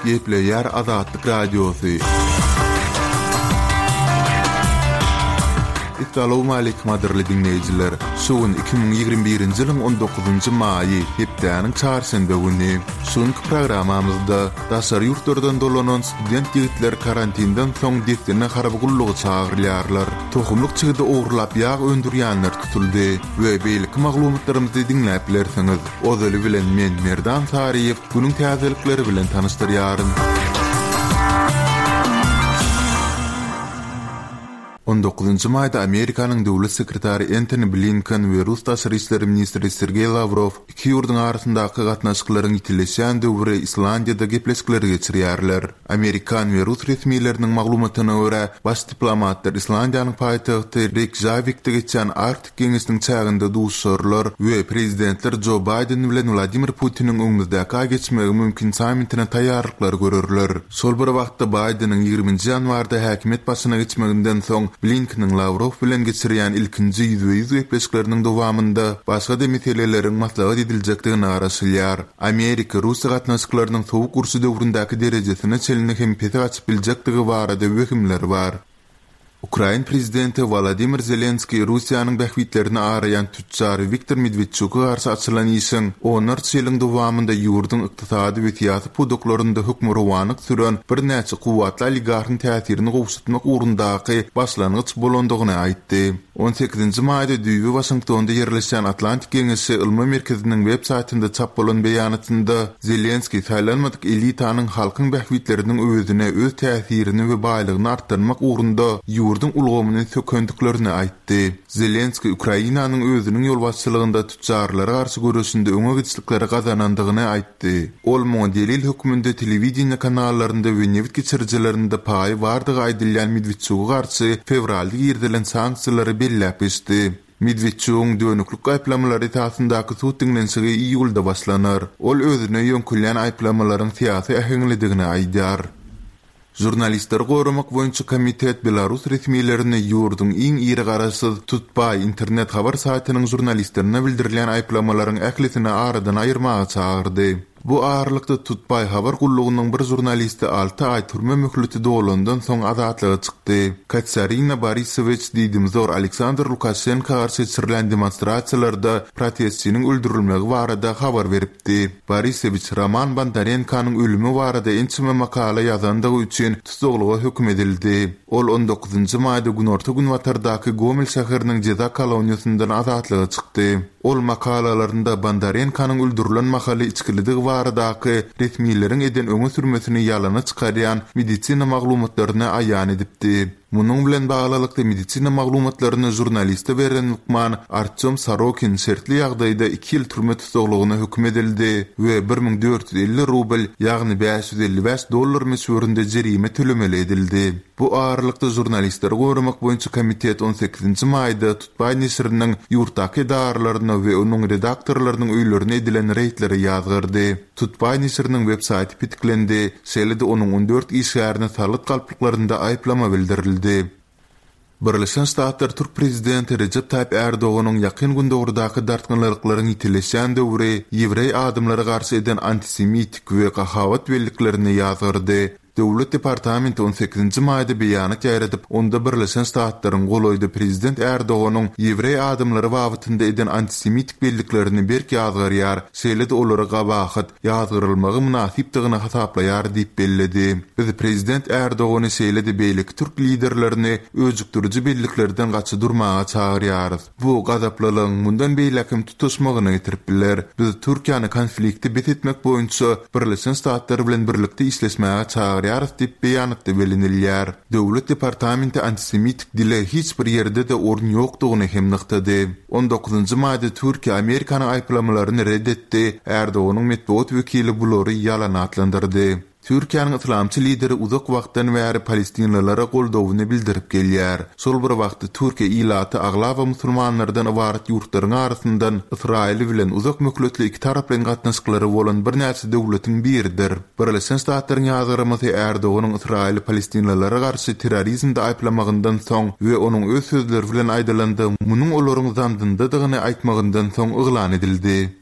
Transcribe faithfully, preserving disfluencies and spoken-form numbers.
Gepleýär Azatlyk Radiosy. Essalawmaleýkim gadyrly diňleýjiler! Şu gün iki müň ýigrimi birinji ýylyň on dokuzynjy maýy, hepdäniň çarşenbe güni. Şu günki programmamyzda daşary ýurtlardan dolanan student ýigitler karantinden soň dessine harby gulluga çagyrylýarlar. Tohumlyk çigidi ogurlap ýag öndürýänler tutuldy we beýleki maglumatlarymyzy diňläp bilersiňiz. Ozaly bilen men Merdan Saryýew günüň täzelikleri bilen tanyşdyrýaryn. On dokuzynjy maýda Amerikanyň döwlet sekretary Entoni Blinken we rus daşary işler ministri Sergeý Lawrow iki ýurduň arasyndaky gatnaşyklaryň ýitileşýän döwri Islandiýada gepleşikleri geçirýärler. Amerikan we rus resmileriniň maglumatyna görä, baş diplomatlar Islandiýanyň paýtagty Reýkjawikde geçýän Arktik geňeşiniň çäginde duşuşarlar we prezidentler Jo Baýden bilen Wladimir Putiniň öňümizdäki aý geçmegi mümkin sammitine taýýarlyklary görerler. Şol bir wagtda Baýdeniň ýigriminji ýanwarda häkimiýet başyna geçmeginden soň Blinkeniň Lawrow bilen geçirýän ilkinji ýüzbe-ýüz gepleşikleriniň dowamynda başga-da meseleleriň maslahat ediljekdigine garaşylýar. Amerika-Russiýa gatnaşyklarynyň sowuk urşy döwründäki derejesine çenli hem pese gaçyp biljekdigi barada wehimler bar. Ukrain prezidenti Wolodymyr Zelenskiý Russiýanyň bähbitlerini araýan tüçjar Wiktor Medwedçuka garşy açylan işiň onlarça ýylyň dowamynda ýurduň ykdysady we syýasy pudaklarynda hökmürowanlyk süren birnäçe kuwwatly oligarhyň täsirini gowşatmak ugrundaky başlangyç bolandygyny aýtdy. On sekizinji maýda düýbi Waşingtonda ýerleşýän Atlantik Geňeşi ylmy merkeziniň web saýtynda çap bolan beýanatynda Zelenskiý saýlanmadyk elitanyň halkyň bähbitleriniň öwezine öz täsirini we baýlygyny artdyrmak ugrunda ýurduň ulgamyny sökendiklerini aýtdy. Zelenskiý Ukrainanyň özüniň ýolbaşçylygynda tüçjarlara garşy göreşinde öňe gidişlikleri gazanandygyny aýtdy. Ol muňa delil hökmünde telewideniýe kanallarynda we nebit geçirijilerinde paýy bardygy aýdylýan Medwedçuga garşy fewralda girizilen sanksiýalary belläp geçdi. Medwedçugyň dönüklik aýyplamalary esasyndaky sud diňlenişigi iýulda başlanar. Ol özüne ýöňkülýän aýyplamalaryň syýasy äheňlidigini aýdýar. Žurnalistleri goramak boýunça komitet Belarus resmilerini ýurduň iň iri garaşsyz Tutbaý internet habar saýtynyň žurnalistlerine bildirilýän aýyplamalaryň ählisini aradan aýyrmaga çagyrdy. Bu aralykda Tutbaý habar gullugynyň bir žurnalisti alty aý türme möhleti dolandan soň azatlyga çykdy. Katerina Borisowiç diýdimzor Aleksandr Lukaşenko garşy geçirilen demonstrasiýalarda protestçiniň öldürilmegi barada habar beripdi. Borisowiç Roman Bondarenkonyň ölümi barada ençeme makala ýazandygy üçin tussaglyga höküm edildi. Ol on dokuzynjy maýda günorta-günbatardaky Gomel şäheriniň jeza koloniýasyndan azatlyga çykdy. Ol makalalarynda Bondarenkonyň öldürilen mahaly içgilidigi baradaky resmileriň eden öňe sürmesini ýalana çykarýan medisina maglumatlaryny aýan edipdi. Munuň bilen baglylykda medisina maglumatlaryny žurnaliste beren lukman Artyom Sorokin şertli ýagdaýda iki ýyl türme tussaglygyna höküm edildi we bir müň dört ýüz elli rubl, ýagny bäş ýüz elli bäş dollar möçberinde jerime tölemeli edildi. Bu aralykda žurnalistleri goramak boýunça komitet on sekizinji maýda Tutbaý neşiriniň ýurtdaky edaralaryna we onuň redaktorlarynyň öýlerine edilen reýdleri ýazgardy. Tutbaý neşiriniň web saýty petiklendi, şeýle-de onuň on dört işgärine salgyt galplyklarynda aýyplama bildirildi. Birleşen Ştatlar türk prezidenti Rejep Taýyp Erdoganyň Ýakyn Gündogardaky dartgynlylyklaryň ýitileşýän döwri ýewreý adamlara garşy eden antisemitik we gahabat belliklerini ýazgardy. Döwlet departamenti on sekizinji maýda beýanat ýaýradyp, onda Birleşen Ştatlaryň golaýda prezident Erdoganyň ýewreý adamlary babatynda eden antisemitik belliklerini berk ýazgarýar, şeýle-de olary gabahat, ýazgarylmagy mynasypdygyny hasaplaýar diýip belledi. Biz prezident Erdogany şeýle-de beýleki türk liderlerini öjükdiriji belliklerden gaça durmaga çagyrýarys. Bu gazaplylygyň mundan beýläk hem tutuşmagyna getirip biler. Biz Türkiýäni konflikti bes etmek boýunça Birleşen Ştatlar bilen birlikde işleşmäge çagyrýarys diýip beýanatda bellenilýär. Döwlet departamenti antisemitik dile hiç bir ýerde-de orun ýokdugyny hem nygtady. On dokuzynjy maýda Türkiýe Amerikanyň aýyplamalaryny red etdi, Erdoganyň metbugat wekili bulary ýalan atlandyrdy. Türkiýäniň yslamçy lideri uzak wagtdan bäri palestinlilara goldawyny bildirip gelýär. Şol bir wagtda Türkiýe ilaty aglaba musulmanlardan ybarat ýurtlaryň arasyndan Ysraýyl bilen uzak möhletli iki taraplaýyn gatnaşyklary bolan birnäçe döwletiň biridir. Birleşen Ştatlaryň ýazgarmasy Erdoganyň Ysraýyly palestinlilara garşy terrorizmde aýyplamagyndan soň we onuň öz sözleri bilen aýdylanda munuň olaryň zandyndadygyny aýtmagyndan soň yglan edildi.